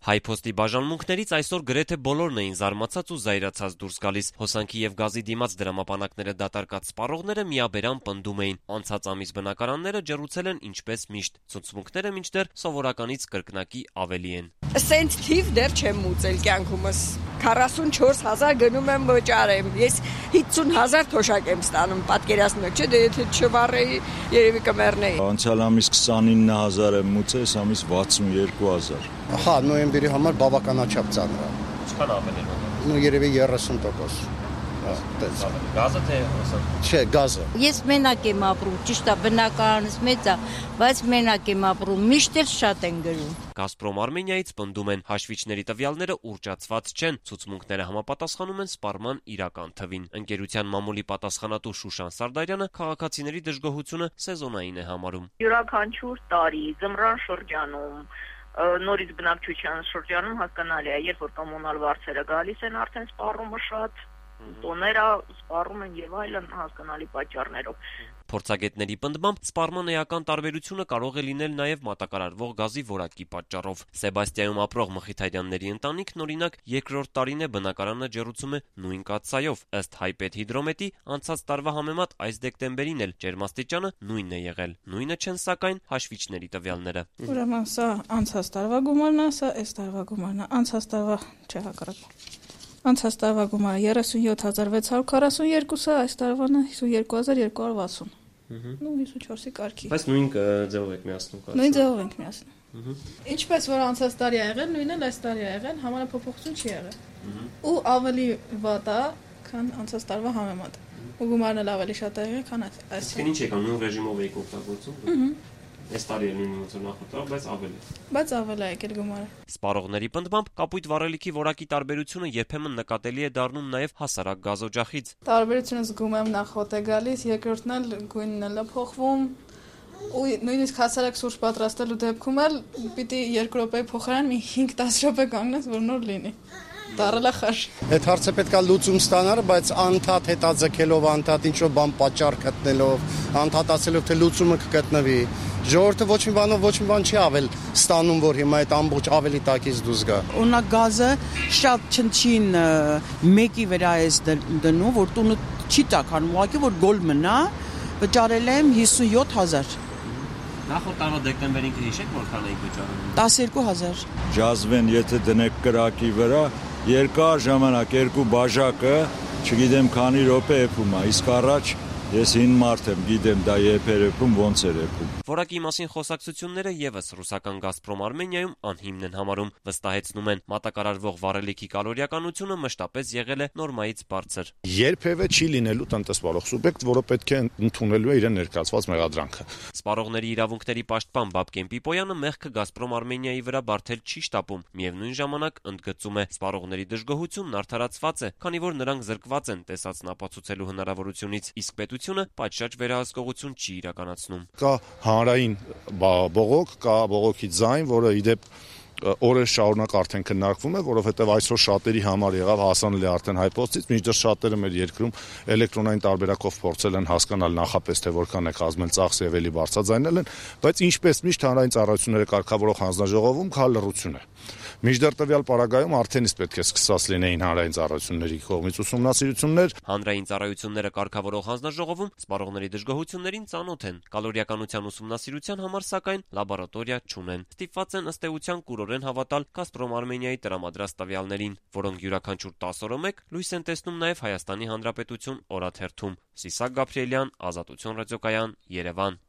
Հայփոստի բաժանմունքներից այսօր գրեթե բոլորն էին զարմացած ու զայրացած դուրս գալիս։ Հոսանքի եւ գազի դիմաց դրամապանակները դատարկած սպառողները միաբերան պնդում էին. անցած ամիս բնակարանները ջեռուցել են ինչպես միշտ, ցուցմունքները մինչդեռ սովորականից կրկնակի ավելի են։ Սենց թիվ դեռ չեմ ուծել կյանքումս։ 44,000 գնում եմ վճարեմ։ Ես 50,000 թոշակ եմ ստանում, պատկերացնում եք, չէ՞, դե եթե չվառեի, երևի կմեռնեի։ Անցյալ ամիս 29,000 եմ ուծել, այս ամիս 62,000։ Հա, նոյեմբերի համար բավականաչափ ծանր է։ Ինչքան ավելի է։ Ну երևի 30%։ Գազը թե Չէ, գազը։ Ես մենակ եմ ապրում, ճիշտ է, բնակարանս մեծ է, բայց մենակ եմ ապրում, միշտ էլ շատ են գրում։ Գազպրոմ Արմենիայից պնդում են, հաշվիչների տվյալները ուռճացված չեն, ցուցմունքները համապատասխանում են սպառման իրական թվին։ Ընկերության մամուլի պատասխանատու Շուշան Սարդարյանը քաղաքացիների դժգոհությունը սեզոնային է համարում։ Յուրաքանչյուր տարի ձմռան շրջանում նորից բնակչության շրջանում հասկանալի է, երբ որ կոմունալ վարձերը գալիս են, արդեն սպառումը շատ, տոները սպառում են եւ այլն հասկանալի պատճառներով։ Փորձագետների պնդմամբ սպառման էական տարբերությունը կարող է լինել նաև մատակարարվող գազի որակի պատճառով։ Սեբաստիայում ապրող Մխիթարյանների ընտանիքն օրինակ երկրորդ տարին է բնակարանը ջեռուցում է նույն կաթսայով։ Ըստ Հայպետհիդրոմետի անցած տարվա համեմատ այս դեկտեմբերին էլ ջերմաստիճանը նույնն է եղել։ Նույնը չեն սակայն հաշվիչների տվյալները։ Ուրեմն սա անցած տարվա գումարն է, սա այս տարվա գումարն է։ Անցած տարվա չէ հակառակ։ Անցած տարվա գումարը 37,642-ը, այս տարվանը 52,260։ Ну 54-ի կարգի։ Բայց նույն ձևով եք միացնում կարծես։ Նույն ձևով ենք միացնում։ Ինչպես որ անցած տարի ա եղել, նույնն էլ այս տարի ա եղել, համանախփոխություն չի եղել։ Ու ավելի վատ է, քան անցած տարվա համեմատ։ Ու գումարն էլ ավելի շատ է եղել, քան այս։ Ինչ եկան նույն ռեժիմով եք օգտագործում։ Այս տարի էլ նույնն ոնց նախորդավ, բայց ավելի։ Բայց ավելի է եկել գումարը։ Սպառողների պնդմամբ կապույտ վառելիքի որակի տարբերությունը երբեմն նկատելի է դառնում նաև հասարակ գազօջախից։ Տարբերությունը զգում եմ նախոտ է գալիս, երկրորդն էլ գույնն էլ է փոխվում։ Ու նույնիսկ հասարակ սուրճ պատրաստելու դեպքում էլ պիտի 2 րոպեի փոխարեն մի 5-10 րոպե կանգնես, որ նոր լինի։ Դառել է խաշ։ Այդ հարցը պետքա լուծում ստանալ, բայց անդադ հետաձգելով, անդադ ինչ-որ բան պատճառ գտնելով, անդադացելով թե լուծումը կգտնվի։ Ժողովուրդը ոչ մի բանով ոչ մի բան չի ավել ստանում, որ հիմա այդ ամբողջ ավելի տակից դուրս գա։ Օրինակ գազը շատ չնչին մեկի վրա է դնում, որ տունը չի տականում, ուղղակի որ գոլ մնա, վճարել եմ 57,000։ Նախորդ տարվա դեկտեմբերին կհիշեք որքան եք վճարում։ 12,000։ Ջազվեն եթե դնեք կրակի վրա, երկար ժամանակ երկու բաժակը, չգիտեմ քանի րոպե եփում է, իսկ առաջ ես հին մարդ եմ, գիտեմ դա երբ էր եփում, ոնց էր եփում։ Որակի մասին խոսակցությունները եւս ռուսական Գազպրոմ Արմենիայում անհիմն են համարում, վստահեցնում են, մատակարարվող վառելիքի կալորիականությունը մշտապես եղել է նորմայից բարձր։ Երբևէ չի լինելու տնտեսվարող սուբյեկտ, որը պետք է ընդունելու է իրեն ներկայացված մեղադրանքը։ Սպառողների իրավունքների պաշտպան Բաբկեն Պիպոյանը մեղքը Գազպրոմ Արմենիայի վրա բարթել չի շտապում, միևնույն ժամանակ ընդգծում է, սպառողների դժգոհությունն արդարացված է, քանի որ նրանք զրկված են տեսածն ապացուցելու հնարավորությունից, իսկ պետությունը պատշաճ վերահսկողություն չի իրականացնում։ Կա հանրային բողոք, կա բողոքի ձայն, որը իդեպ օրեր շարունակ արդեն քննարկվում է, որովհետև այսօր շատերի համար եղավ հասանելի արդեն Հայփոստից, մինչդեռ շատերը մեր երկրում էլեկտրոնային տարբերակով փորձել են հասկանալ նախապես թե որքան է կազմել ծախսը եւ էլի բարձրաձայնել են, բայց ինչպես միշտ հանրային ծառայությունները կարգավորող հանձնաժողովում կա լռություն է։ Մինչդեռ տվյալ պարագայում արդեն իսկ պետք է սկսած լինեին հանրային ծառայությունների կողմից ուսումնասիրություններ։ Հանրային ծառայությունները կարգավորող հանձնաժողովում սպառողների դժգոհություններին ծանոթ են։ Կալորիականության ուսումնասիրության համար սակայն լաբորատորիա չունեն։ Ստիպված են ըստ էության կուրորեն հավատալ Գազպրոմ Արմենիայի տրամադրած տվյալներին, որոնք յուրաքանչյուր 10 օրը մեկ լույս են տեսնում նաև Հայաստանի Հանրապետություն օրաթերթում։ Սիսակ Գաբրիելյան, Ազատություն ռադիոկայան, Երևան։